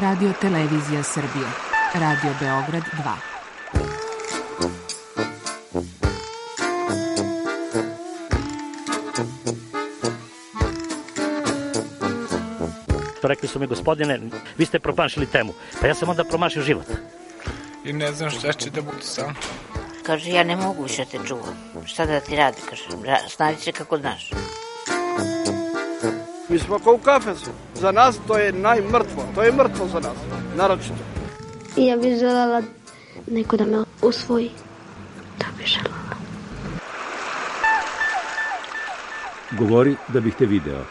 Radio Televizija Srbije. Radio Beograd 2. Rekli su mi, gospodine, vi ste promašili temu. Pa ja sam onda promašio život. I ne znam šta će da bude sam. Kaže, ja ne mogu više te čuvam. Šta da ti radi, kaže, snađi se kako znaš. Mi smo kao u kafesu. Za nas to je najmrtvo. To je mrtvo za nas, naročito. I ja bih želela neko da me usvoji. To bih želela. Govori da bih te video.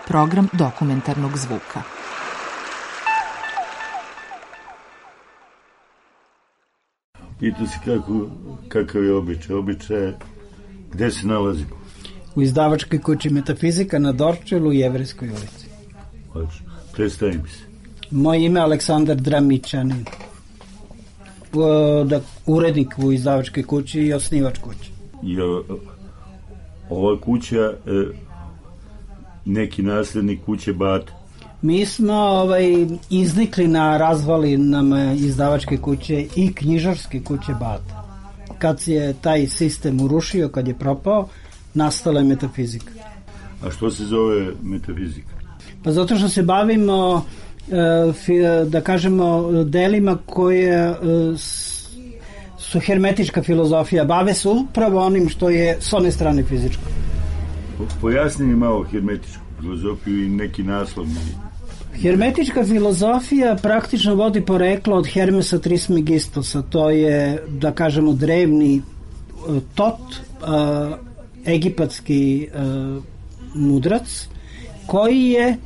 Program dokumentarnog zvuka. Pitu se kakav je običaj. Običaj, gde se nalazimo? U izdavačkoj kući Metafizika na Dorčelu u Jevrejskoj ulici. Predstavi mi se. Moje ime je Aleksandar Dramićanin. Urednik u izdavačkoj kući i osnivač kuće. Ova kuća neki naslednik kuće Bata? Mi smo iznikli na razvalinama izdavačke kuće i knjižarske kuće Bata. Kad je taj sistem urušio, kad je propao, nastala je Metafizika. A što se zove Metafizika? Pa zato što se bavimo, da kažemo, delima koje su hermetička filozofija. Bave se upravo onim što je s one strane fizičko. Pojasni mi malo hermetičku filozofiju i neki naslov. Hermetička filozofija praktično vodi poreklo od Hermesa Trismegistosa. To je, da kažemo, drevni Tot, egipatski mudrac, koji je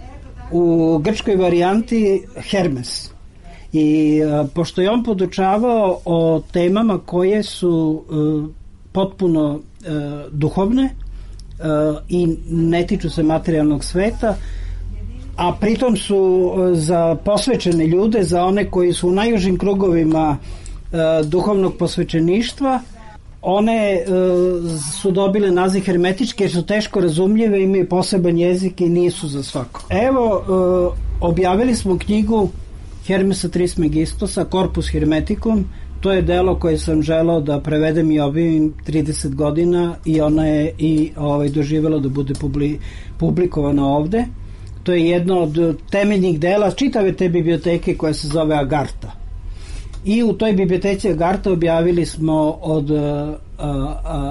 u grčkoj varijanti Hermes. I pošto je on podučavao o temama koje su potpuno duhovne i ne tiču se materijalnog sveta, a pritom su za posvećene ljude, za one koji su u najužim krugovima duhovnog posvećeništva, one su dobile naziv hermetičke jer su teško razumljive, imaju poseban jezik i nisu za svako. Evo, objavili smo knjigu Hermesa Trismegistosa, Corpus Hermeticum. To je delo koje sam želao da prevedem i objavim 30 godina i ona je i doživjela da bude publikovana ovde. To je jedno od temeljnih dela čitave te biblioteke koja se zove Agartha. I u toj biblioteci Agartha objavili smo od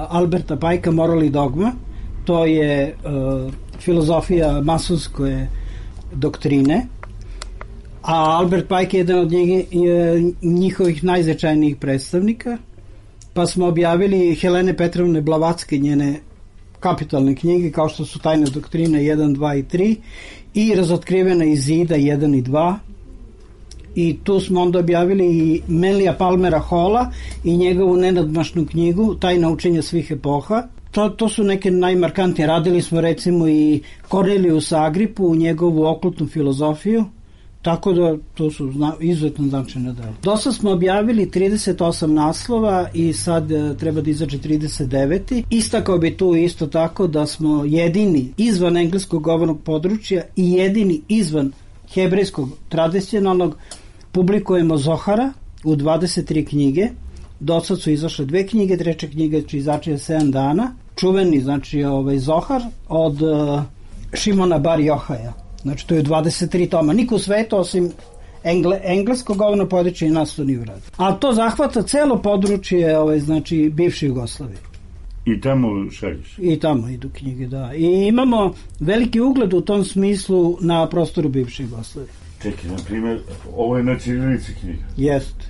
Alberta Pajka Moral i dogma. To je filozofija masonske doktrine. A Albert Pike je jedan od njihovih najznačajnijih predstavnika. Pa smo objavili Helene Petrovne Blavatske, njene kapitalne knjige, kao što su Tajne doktrine 1, 2 i 3 i Razotkrivena iz zida 1 i 2. I tu smo onda objavili i Melija Palmera Hola i njegovu nenadmašnu knjigu Tajna učenja svih epoha. To su neke najmarkantnije. Radili smo recimo i Corneliusa Agripu u njegovu okultnu filozofiju. Tako da to su izuzetno značajne dela. Dosta smo objavili 38 naslova i sad treba da izađe 39. Istakao bi tu isto tako da smo jedini izvan engleskog govornog područja i jedini izvan hebrejskog tradicionalnog publikujemo Zohara u 23 knjige. Do sad su izašle 2 knjige, treća knjiga će izaći 7 dana. Čuveni, znači, Zohar od Šimona Bar Johaja. Znači, to je 23 toma. Niko u svetu, osim engleskog govornog područja i nas to nije uradio. Ali to zahvata celo područje, znači, bivše Jugoslavije. I tamo šalješ? I tamo idu knjige, da. I imamo veliki ugled u tom smislu na prostoru bivše Jugoslavije. Čekaj, na primjer, ovo je na ćirilici knjiga? Jeste.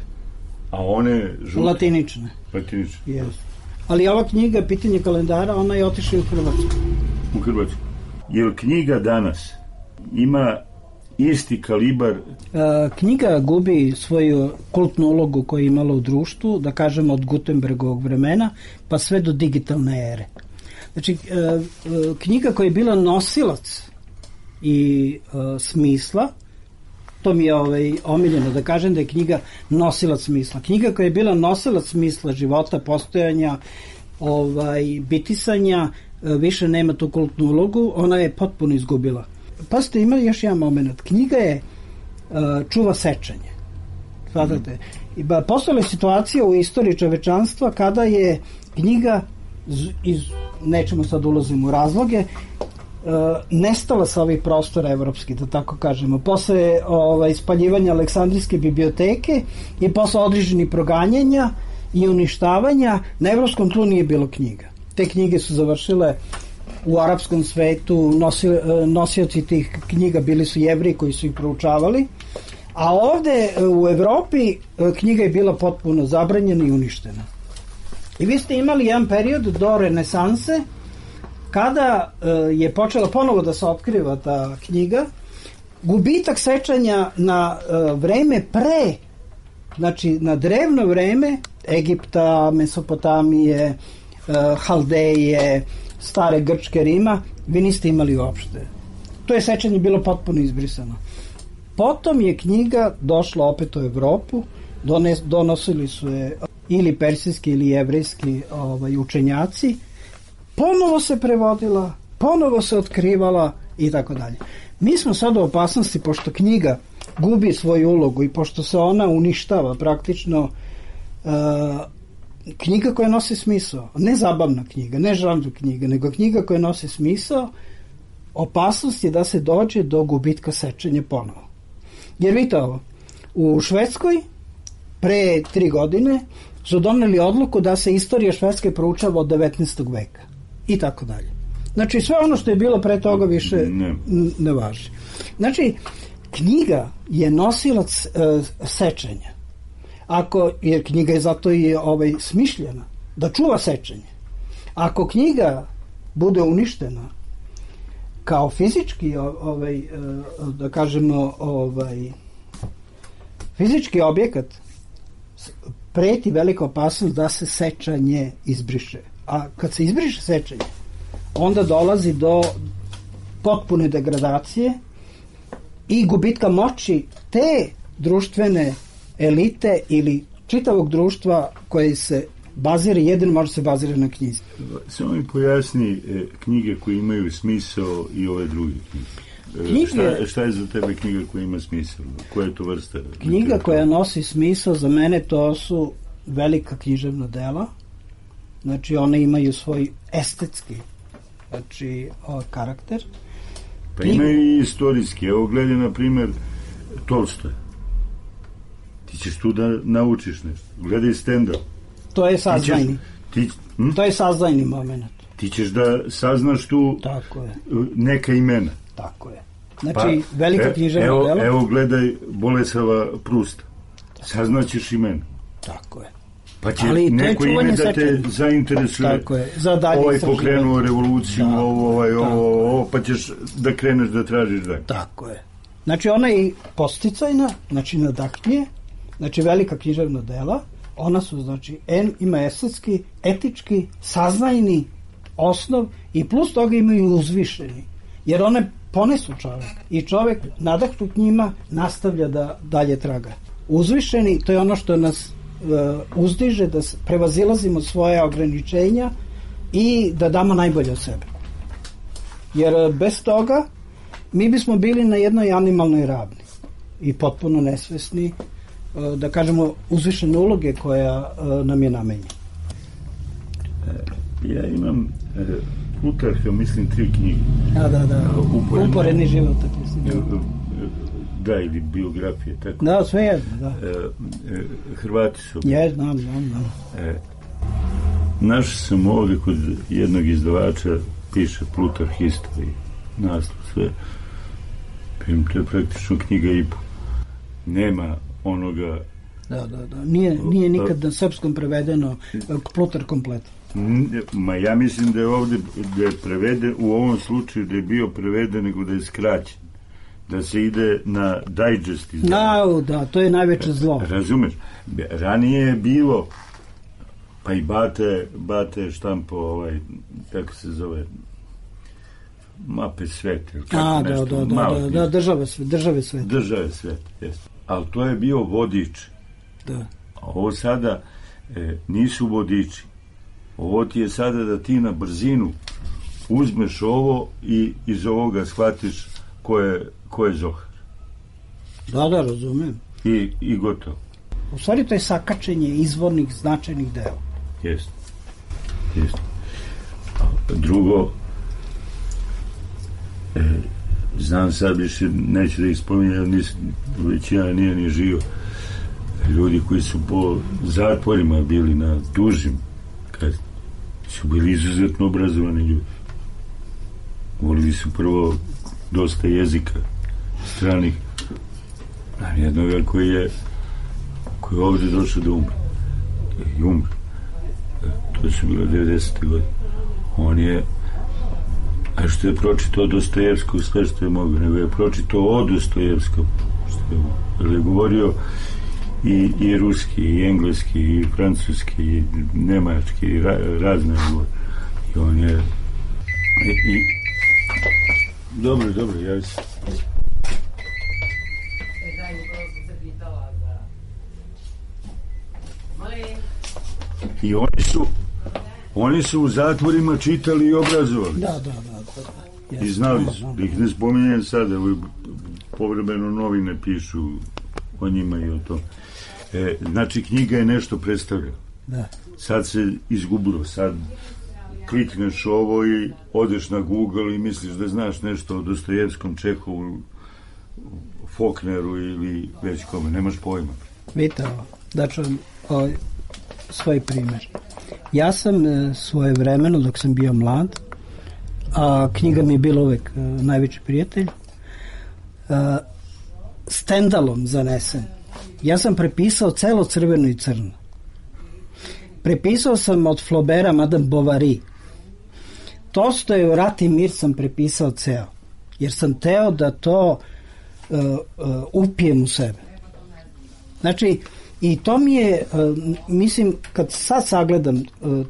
A one žute? Latinične. Latinične. Jeste. Ali ova knjiga, pitanje kalendara, ona je otišla u Hrvatsku. U Hrvatsku. Je li knjiga danas ima isti kalibar? Knjiga gubi svoju kultnu ulogu koju je imala u društvu, da kažemo od Gutenbergovog vremena, pa sve do digitalne ere. Znači, knjiga koja je bila nosilac i smisla, to mi je omiljeno da kažem da je knjiga nosilac smisla. Knjiga koja je bila nosilac smisla života, postojanja, bitisanja, više nema tu kultnu ulogu, ona je potpuno izgubila. Pazite, ima još jedan moment. Knjiga je čuva sečenje. Shvatate? Postojala je situacija u istoriji čovečanstva kada je knjiga nećemo sad ulazimo u razloge, nestala sa ovih prostora evropskih, da tako kažemo. Posle ispaljivanja Aleksandrijske biblioteke i posle određenih proganjanja i uništavanja, na evropskom tlu nije bilo knjiga. Te knjige su završile u arapskom svetu, nosioci tih knjiga bili su Jevreji koji su ih proučavali, a ovde u Evropi knjiga je bila potpuno zabranjena i uništena. I vi ste imali jedan period do renesanse kada je počela ponovo da se otkriva ta knjiga, gubitak sećanja na vreme pre, znači na drevno vreme Egipta, Mesopotamije, Haldeje, stare Grčke, Rima, vi niste imali uopšte. To je sećanje bilo potpuno izbrisano. Potom je knjiga došla opet u Evropu, donosili su je ili persijski ili jevrejski učenjaci, ponovo se prevodila, ponovo se otkrivala i tako dalje. Mi smo sad u opasnosti, pošto knjiga gubi svoju ulogu i pošto se ona uništava praktično, knjiga koja nosi smisao, ne zabavna knjiga, ne žanr knjiga, nego knjiga koja nosi smisao, opasnost je da se dođe do gubitka sečenja ponovo. Jer vidite ovo, u Švedskoj pre 3 godine su doneli odluku da se istorija Švedske proučava od 19. veka i tako dalje. Znači sve ono što je bilo pre toga više ne važi. Znači knjiga je nosilac sečenja. Jer knjiga je zato i smišljena da čuva sečenje. Ako knjiga bude uništena kao fizički da kažemo fizički objekat, preti velika opasnost da se sečanje izbriše. A kad se izbriše sečanje, onda dolazi do potpune degradacije i gubitka moći te društvene elite ili čitavog društva koje se bazira, jedino može se bazira na knjizi. Samo mi pojasni knjige koje imaju smisao i ove druge knjige. Šta je za tebe knjiga koja ima smisao? Koja je to vrsta? Knjiga koja nosi smisao za mene to su velika književna dela. Znači one imaju svoj estetski karakter. Pa imaju i istorijski. Evo gledaj na primjer Tolstoj. Ti ćeš tu da naučiš nešto. Gledaj stand-up. To je saznajni. To je saznajni moment. Ti ćeš da saznaš tu neka imena. Tako je. Znači, velika književna dela. Evo gledaj Bolesava Prusta. Saznaćeš imena. Tako je. Pa će neko ime da te zainteresuje. Tako je. Za dalje istraživanje. Pokrenuo revoluciju, ovo, pa ćeš da kreneš da tražiš dalje. Tako je. Znači, ona je posticajna, znači nadahnije, znači velika književna dela, ona su, znači, ima estetski, etički, saznajni osnov i plus toga imaju uzvišeni. Jer one ponesu čovek i čovek nadahnut njima nastavlja da dalje traga. Uzvišeni, to je ono što nas uzdiže, da prevazilazimo svoje ograničenja i da damo najbolje od sebe. Jer bez toga mi bismo bili na jednoj animalnoj ravni i potpuno nesvesni, da kažemo, uzvišene uloge koja nam je namenjena. Ja imam Plutarha, mislim, 3 knjige. Da. Uporedni život. Da, ili biografije, tako. Da, sve jedno, da. Hrvati su. Znam. Naš sam ovdje kod jednog izdavača, piše Plutarh History, naslov, sve. To je praktično knjiga i po. Nema onoga... Da. Nije nikad na srpskom prevedeno Plutar komplet. Ja mislim da je ovdje preveden, u ovom slučaju da je bio preveden, nego da je skraćen. Da se ide na digest izdavanje. Da, to je najveće zlo. Razumeš? Ranije je bilo, pa i Bate štampo, kako se zove, mape sveta. Da, države sveta. Države sveta, jeste. Ali to je bio vodič. Da. A ovo sada nisu vodiči. Ovo ti je sada da ti na brzinu uzmeš ovo i iz ovoga shvatiš ko je Zohar. Da, razumem. I gotovo. U stvari to je sakačenje izvornih značajnih dela. Jeste. Drugo, znam sad više, neću da ih spominjam, većina nije ni živo. Ljudi koji su po zatvorima bili na dužim, kad su bili izuzetno obrazovani ljudi. Govorili su prvo dosta jezika stranih. Znam jednoga koji je ovdje došao da umre. I umre. To su bilo 90. godine. On je, a što je pročitao Dostojevskog, sve što je mogao, nego je pročitao o Dostojevskom, što je govorio i ruski, i engleski, i francuski, i nemački, i razne govore. I on je... Dobro, ja se... I oni su u zatvorima čitali i obrazovali. Da. I znali su, da ih ne spominjem sada, povremeno novine pišu o njima i o tom. Znači, knjiga je nešto predstavljala. Da. Sad se izgubilo, sad klikneš ovo i odeš na Google i misliš da znaš nešto o Dostojevskom, Čehovu, Faulkneru ili već kome, nemaš pojma. Vidite ovo, da ću svoj primjer. Ja sam svoje vremeno, dok sam bio mlad, a knjiga mi je bila uvek najveći prijatelj, Stendhalom zanesen. Ja sam prepisao celo Crveno i crno. Prepisao sam od Flaubera Madame Bovary. Tolstojev Rat i mir sam prepisao ceo. Jer sam teo da to upijem u sebe. Znači, i to mi je, mislim, kad sad sagledam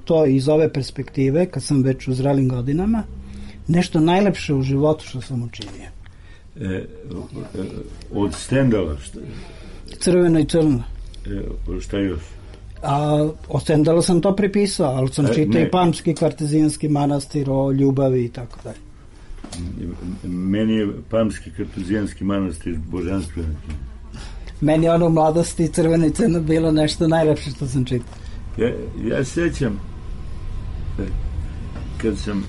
to iz ove perspektive, kad sam već u zrelim godinama, nešto najlepše u životu što sam učinio. Od Stendhala? Crveno i crno. Šta još? A od Stendhala sam to prepisao, ali sam čitao i Pamski kartezijanski manastir o ljubavi i tako dalje. Meni je Pamski kartezijanski manastir božanstven. Meni ono u mladosti Crveno i crno bilo nešto najlepše što sam čitao. Ja sećam kad sam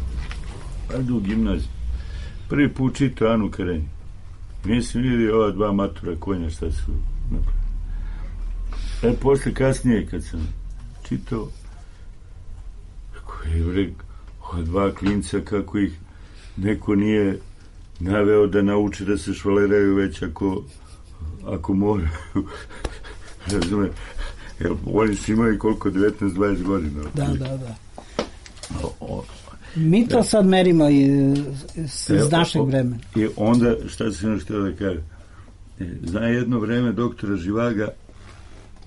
u gimnaziji prvi put čitao Anu Karenjinu. Nisam vidio ova dva matura konja šta su napravili. Posle kasnije kad sam čitao ova dva klinca kako ih neko nije naveo da nauče da se švaleraju već ako moraju. Razume, jer oni su imali koliko, 19-20 godina. Da. Mi to sad merimo iz našeg vremena. I onda, šta sam još htio da kažem, zna jedno vreme doktora Živaga,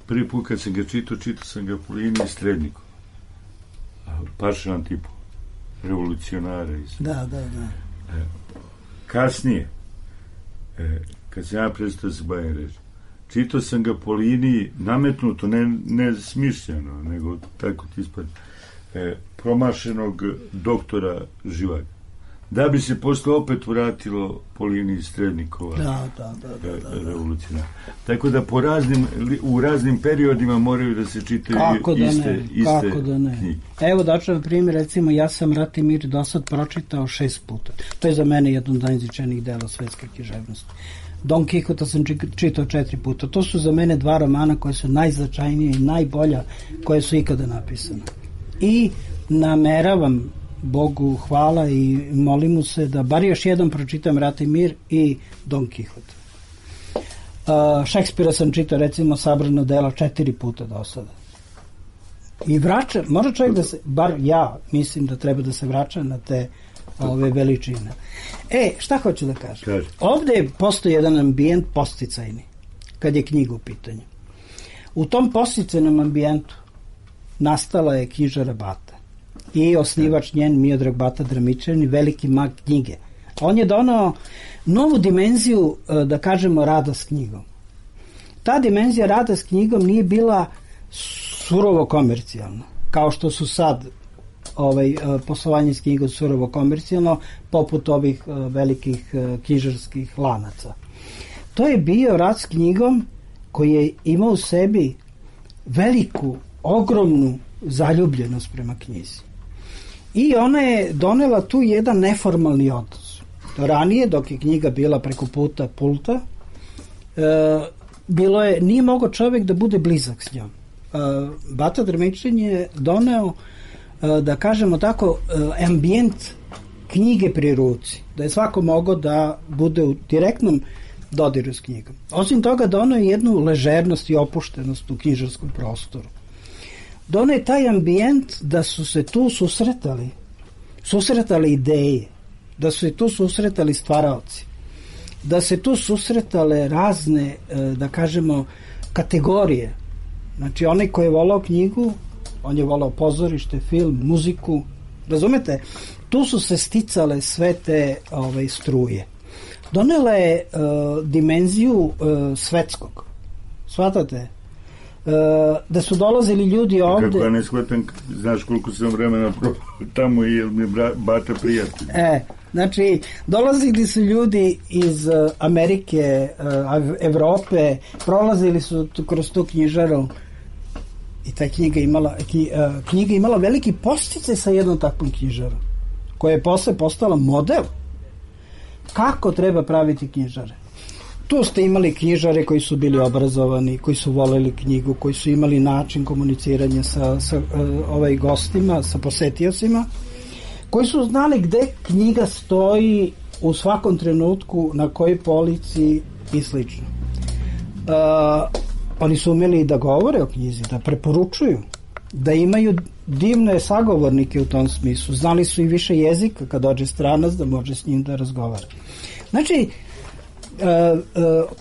prvi put kad sam ga čitao sam ga po liniji Stredniku. Paršan tipu, revolucionara. Da. Kasnije, kad sam ja prestao se bavim reći, čitao sam ga po liniji nametnuto, ne smišljeno, nego tako ti ispadne, promašenog doktora Živaga. Da bi se posle opet vratilo po liniji Strednikova. Da. Revolucionara. Tako da u raznim periodima moraju da se čitaju iste knjige. Evo daću vam primjer, recimo ja sam Rat i mir do sad pročitao 6 puta. To je za mene jedno od najizvičajnijih dela svetske književnosti. Don Quixota sam čitao 4 puta. To su za mene 2 romana koje su najznačajnije i najbolja koje su ikada napisane. I nameravam, Bogu hvala i molim mu se da bar još jednom pročitam Rat i mir i Don Quixota. Šekspira sam čitao recimo sabrano dela 4 puta do sada. I može čovjek da se, bar ja mislim da treba da se vraća na te ove veličine. Šta hoću da kažem? Ovdje postoji jedan ambijent posticajni, kad je knjiga u pitanju. U tom posticajnom ambijentu nastala je knjižara Bata i osnivač njen Miodrag Bata Dramičanin, veliki mag knjige. On je donao novu dimenziju, da kažemo, rada s knjigom. Ta dimenzija rada s knjigom nije bila surovo komercijalna, kao što su sad poslovanje s knjigom surovo komercijalno, poput ovih velikih knjižarskih lanaca. to je bio rad s knjigom koji je imao u sebi veliku, ogromnu zaljubljenost prema knjizi. I ona je donela tu jedan neformalni odnos. Ranije, dok je knjiga bila preko puta pulta, nije mogao čovjek da bude blizak s njom. Bata Drmičin je doneo, da kažemo tako, ambijent knjige pri ruci, da je svako mogao da bude u direktnom dodiru s knjigom. Osim toga, doneo je jednu ležernost i opuštenost u knjižarskom prostoru. Doneo je taj ambijent da su se tu susretali ideje, da su se tu susretali stvaraoci, da se tu susretale razne, da kažemo, kategorije. Znači, onaj koji je volao knjigu, on je volao pozorište, film, muziku, razumete? Tu su se sticale sve te struje. Donela je dimenziju svetskog. Shvatate? Da su dolazili ljudi ovde... Kako ja ne shvatam, znaš koliko sam vremena tamo i mi bata prijatelj. Znači, dolazili su ljudi iz Amerike, Evrope, prolazili su kroz tu knjižaru i ta knjiga imala veliki podsticaj sa jednom takvom knjižarom, koja je posle postala model kako treba praviti knjižare. Tu ste imali knjižare koji su bili obrazovani, koji su voleli knjigu, koji su imali način komuniciranja sa gostima, sa posetiocima, koji su znali gde knjiga stoji u svakom trenutku, na kojoj polici i slično. Oni su umeli da govore o knjizi, da preporučuju, da imaju divne sagovornike u tom smislu. Znali su i više jezika kad dođe stranac da može s njim da razgovara. Znači,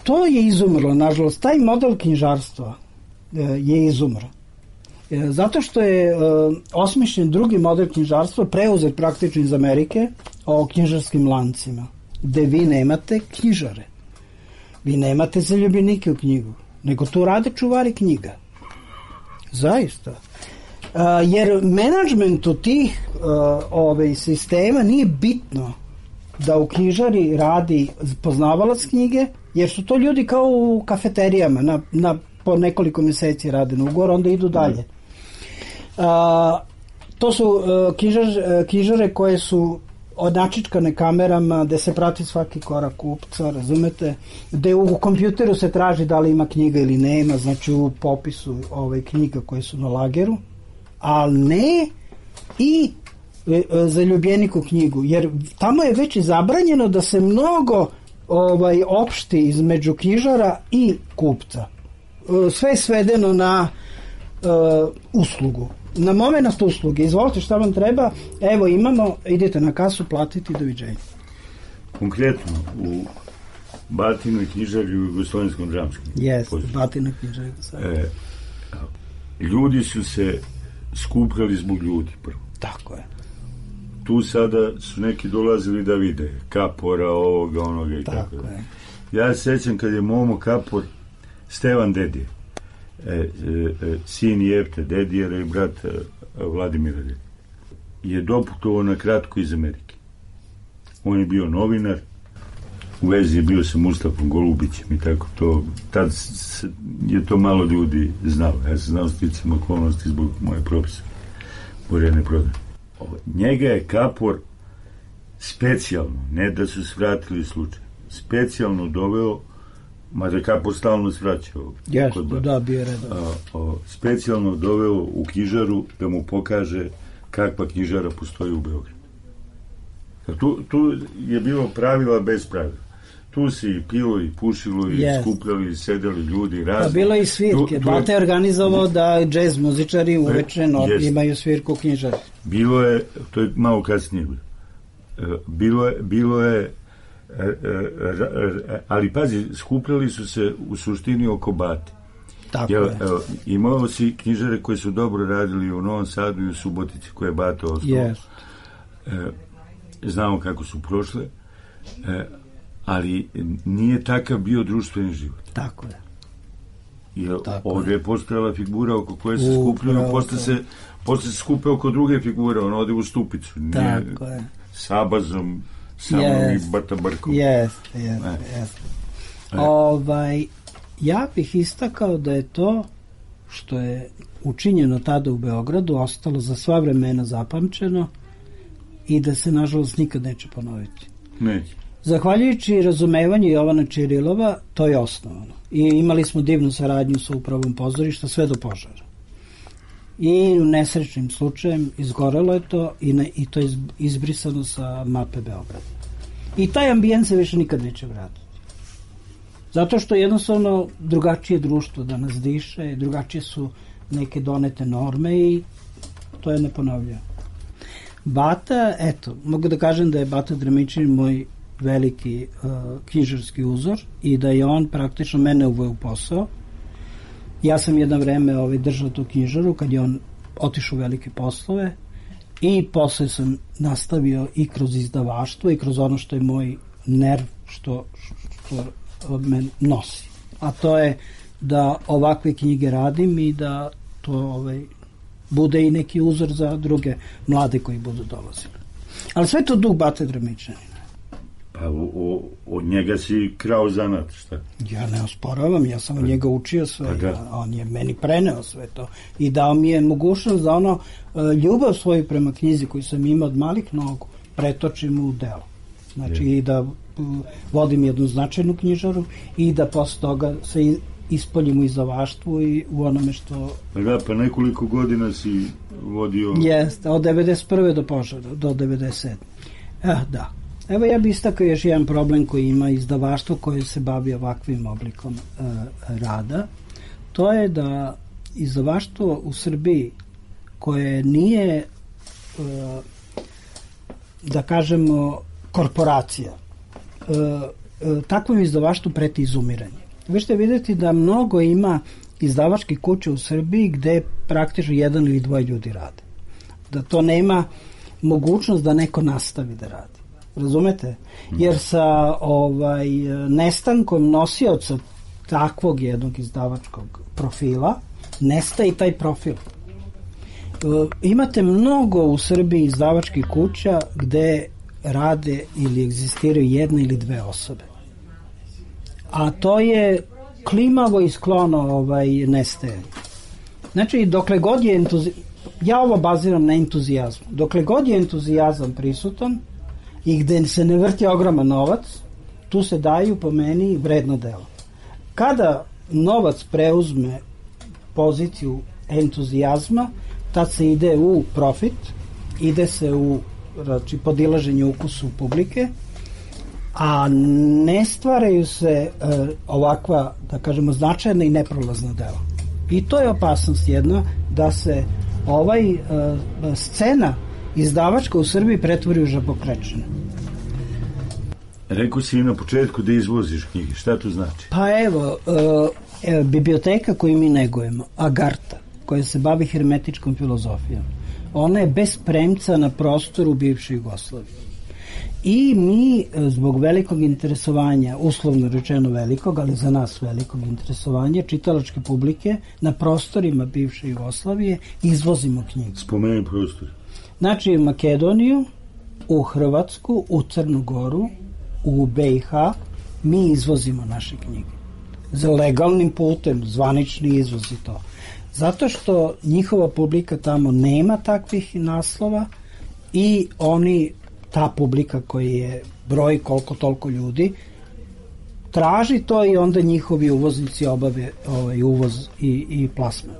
to je izumrlo, nažalost, taj model knjižarstva je izumro. Zato što je osmišljen drugi model knjižarstva, preuzet praktično iz Amerike, o knjižarskim lancima, gde vi nemate knjižare. Vi nemate zaljubljenike u knjigu, nego tu rade čuvari knjiga. Zaista. Jer menadžmentu tih sistema nije bitno da u knjižari radi poznavalac knjige, jer su to ljudi kao u kafeterijama, po nekoliko meseci rade na ugovor, onda idu dalje. To su knjižare koje su odnačičkane kamerama, gde se prati svaki korak kupca, razumete, gde u kompjuteru se traži da li ima knjiga ili nema, znači u popisu knjiga koje su na lageru, ali ne i zaljubljenik u knjigu, jer tamo je već zabranjeno da se mnogo opšti između knjižara i kupca. Sve je svedeno na uslugu, na moment usluge. Izvolite, šta vam treba? Evo, imamo, idete na kasu, platiti, doviđenja. Konkretno, u Batinoj knjižari u Jugoslovenskom dramskom. Jeste, Batinoj knjižari. Ljudi su se skupljali zbog ljudi prvo. Tako je. Tu sada su neki dolazili da vide Kapora, ovoga, onoga i tako da. Ja se sećam kad je Momo Kapor, Stevan Dedije, sin Jefte Dedijera i brat Vladimira Dedije, je doputovao na kratko iz Amerike. On je bio novinar, u vezi je bio sa Mustafom Golubićem i tako to. Tad je to malo ljudi znalo. Ja sam znao sticam okolnosti zbog moje profesora Borjane Prodan. Njega je Kapor specijalno, ne da su svratili slučaj, specijalno doveo, mada Kapor stalno svraćao. Jasno, da, bio redan. Specijalno doveo u knjižaru da mu pokaže kakva knjižara postoji u Beogradu. Tu je bilo pravila bez pravila. Tu se i pilo i pušilo i skupljali i sedeli ljudi razni. Bilo je i svirke. Bata je organizovao da džez muzičari uveče imaju svirku u knjižari. Bilo je, to je malo kasnije bilo je ali pazi, skupljali su se u suštini oko Bate. Tako je. Imao si knjižare koje su dobro radili u Novom Sadu i u Subotici koje je Bata ostao. Znamo kako su prošle, ali nije takav bio društveni život. Tako je. Jer ovdje je postojala figura oko koje se skupljaju, posle se skupe oko druge figure, on ode u Stupicu. Tako je. Sabazom, samom i Batabarkom. Jeste. Ja bih istakao da je to što je učinjeno tada u Beogradu ostalo za sva vremena zapamćeno i da se nažalost nikad neće ponoviti. Neće. Zahvaljujući razumevanju Jovana Čirilova, to je osnovano. I imali smo divnu saradnju sa upravom pozorišta sve do požara. I u nesrećnim slučajem izgorelo je to i to je izbrisano sa mape Beograda. I taj ambijent se više nikad neće vratiti. Zato što jednostavno drugačije društvo danas diše, drugačije su neke donete norme i to je neponovljivo. Bata, eto, mogu da kažem da je Bata Dremičanin moj veliki knjižarski uzor i da je on praktično mene uveo u posao. Ja sam jedno vreme držao tu knjižaru kad je on otišao u velike poslove i posle sam nastavio i kroz izdavaštvo i kroz ono što je moj nerv što me nosi. A to je da ovakve knjige radim i da to bude i neki uzor za druge mlade koji budu dolazili. Ali sve to duh Bate Dremičanina. Pa od njega si krao zanat, šta? Ja ne osporavam, ja sam od njega učio sve, on je meni preneo sve to i dao mi je mogućnost da ljubav svoju prema knjizi koju sam imao od malih nogu pretočim u delo. Znači i da vodim jednu značajnu knjižaru i da posle toga se ispoljim u izdavaštvu i u onome što... Pa nekoliko godina si vodio... Jeste, od 91. do požara, do 97. Da. Evo ja bih istakao još jedan problem koji ima izdavaštvo koje se bavi ovakvim oblikom rada. To je da izdavaštvo u Srbiji koje nije da kažemo korporacija, takvom izdavaštvu preti izumiranje. Vi ćete vidjeti da mnogo ima izdavačkih kuća u Srbiji gde praktično jedan ili dvoje ljudi rade. Da to nema mogućnost da neko nastavi da radi. Razumete? Jer sa nestankom nosioca takvog jednog izdavačkog profila nestaje i taj profil. Imate mnogo u Srbiji izdavačkih kuća gde rade ili egzistiraju jedna ili dve osobe. A to je klimavo i sklono nestajanje. Znači, dokle god je ja ovo baziram na entuzijazmu. Dokle god je entuzijazam prisutan i gde se ne vrti ogroman novac, tu se daju po meni vredno delo. Kada novac preuzme poziciju entuzijazma, tad se ide u profit, ide se u podilaženje ukusu publike, a ne stvaraju se ovakva, da kažemo, značajna i neprolazna dela. I to je opasnost jedna, da se scena izdavačka u Srbiji pretvori u žabokrečinu. Rekao si i na početku da izvoziš knjige, šta to znači? Pa evo, biblioteka koju mi negujemo, Agarta, koja se bavi hermetičkom filozofijom, ona je bez premca na prostoru bivše Jugoslavije. I mi, zbog velikog interesovanja, uslovno rečeno velikog, ali za nas velikog interesovanja, čitalačke publike na prostorima bivše Jugoslavije izvozimo knjige. Spomeni prostor. Znači, u Makedoniju, u Hrvatsku, u Crnu Goru, u BiH, mi izvozimo naše knjige. Za legalnim putem, zvanični izvoz i to. Zato što njihova publika tamo nema takvih naslova i ta publika koji je broj koliko toliko ljudi, traži to i onda njihovi uvoznici obave uvoz i plasman.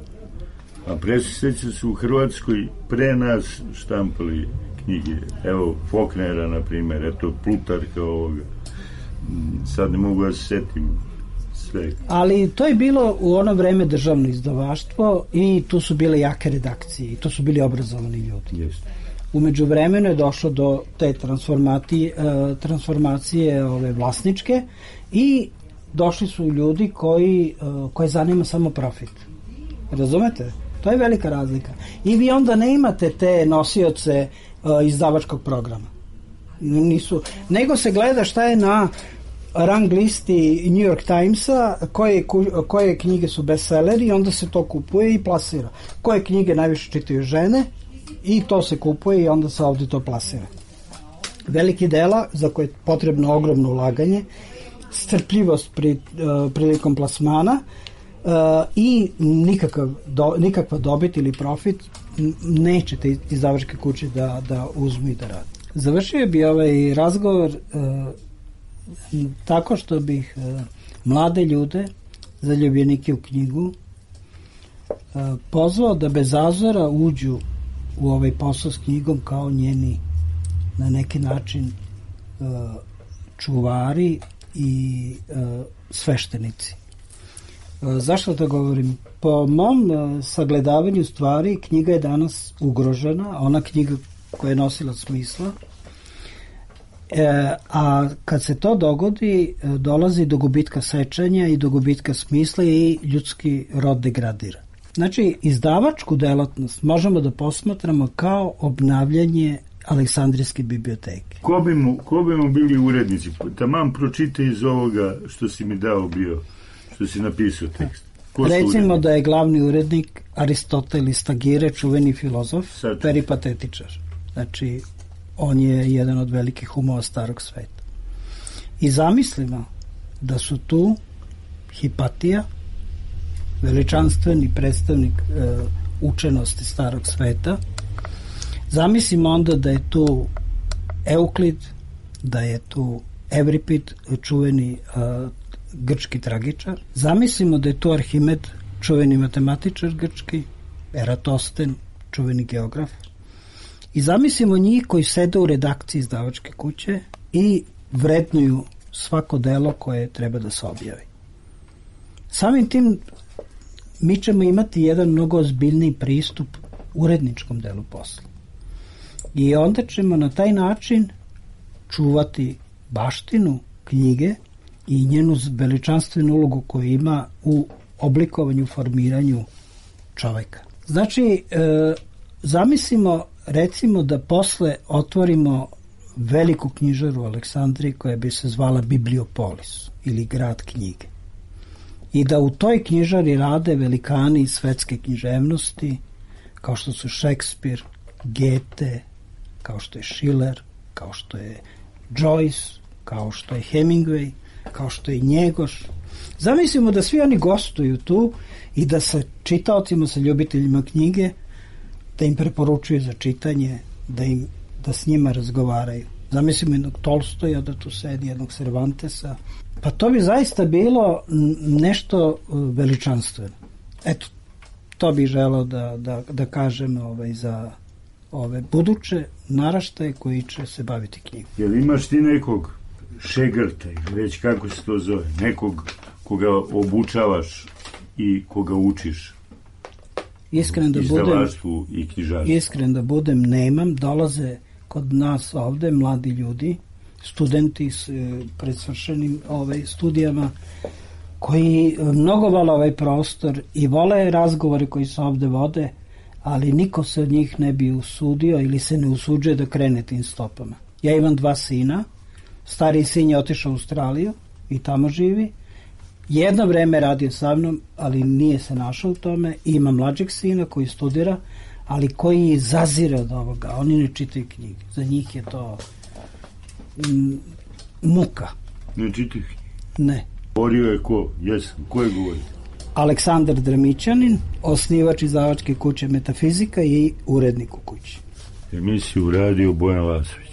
A presjeća su u Hrvatskoj pre nas štampali knjige. Evo, Faulknera, na primjer, eto, Plutarka ovoga. Sad ne mogu da se setim sve. Ali to je bilo u ono vreme državno izdavaštvo i tu su bile jake redakcije i to su bili obrazovani ljudi. Jeste. U međuvremenu je došlo do te transformacije vlasničke i došli su ljudi koje zanima samo profit. Razumete? To je velika razlika. I vi onda ne imate te nosioce izdavačkog programa. Nego se gleda šta je na rang listi New York Timesa, koje knjige su bestselleri i onda se to kupuje i plasira. Koje knjige najviše čitaju žene i to se kupuje i onda se ovdje to plasira. Veliki dela za koje je potrebno ogromno ulaganje strpljivost prilikom plasmana i nikakva dobit ili profit neće te izdavačke kuće da uzmu i da rade. Završio bi ovaj razgovor tako što bih mlade ljude, zaljubljenike u knjigu, pozvao da bez zazora uđu u ovaj posao s knjigom kao njeni na neki način čuvari i sveštenici. Zašto to govorim? Po mom sagledavanju stvari knjiga je danas ugrožena, ona knjiga koja je nosila smisla, a kad se to dogodi, dolazi do gubitka sećanja i do gubitka smisla i ljudski rod degradira. Znači, izdavačku delatnost možemo da posmatramo kao obnavljanje Aleksandrijske biblioteke. Ko bi mu bili urednici? Taman pročite iz ovoga što si mi dao bio, što si napisao tekst. Recimo da je glavni urednik Aristoteles Tagire, čuveni filozof, peripatetičar. Znači, on je jedan od velikih umova starog sveta. I zamislimo da su tu Hipatija, veličanstveni predstavnik učenosti starog sveta. Zamislimo onda da je tu Euklid, da je tu Evripid, čuveni grčki tragičar. Zamislimo da je tu Arhimed, čuveni matematičar grčki, Eratosten, čuveni geograf. I zamislimo njih koji sede u redakciji izdavačke kuće i vrednuju svako delo koje treba da se objavi. Samim tim mi ćemo imati jedan mnogo ozbiljniji pristup uredničkom delu posla. I onda ćemo na taj način čuvati baštinu knjige i njenu veličanstvenu ulogu koju ima u oblikovanju, formiranju čoveka. Znači, zamislimo recimo da posle otvorimo veliku knjižaru u Aleksandriji koja bi se zvala Bibliopolis ili grad knjige. I da u toj knjižari rade velikani svetske književnosti kao što su Šekspir, Goethe, kao što je Schiller, kao što je Joyce, kao što je Hemingway, kao što je Njegoš. Zamislimo da svi oni gostuju tu i da sa čitaocima, sa ljubiteljima knjige, da im preporučuju za čitanje, da s njima razgovaraju. Zamislimo jednog Tolstoja da tu sedi, jednog Cervantesa. Pa to bi zaista bilo nešto veličanstveno. Eto, to bih želeo da kažem za ove buduće naraštaje koji će se baviti knjigom. Jel imaš ti nekog šegrta, ili već kako se to zove, nekog koga obučavaš i koga učiš? Iskren da budem, nemam. Dolaze kod nas ovde mladi ljudi, studenti s predsvršenim studijama, koji mnogo vole ovaj prostor i vole razgovore koji se ovde vode, ali niko se od njih ne bi usudio ili se ne usuđuje da krene tim stopama. Ja imam 2 sina, stariji sin je otišao u Australiju i tamo živi. Jedno vreme radio sa mnom, ali nije se našao u tome. I ima mlađeg sina koji studira, ali koji zazire od ovoga. Oni ne čitaju knjige. Za njih je to muka. Ne čitaju knjige? Ne. Govorio je ko? Jesam. Ko je govorio? Aleksandar Dramićanin, osnivač izdavačke kuće Metafizika i urednik u kući. Emisiju radio Bojan Lasović.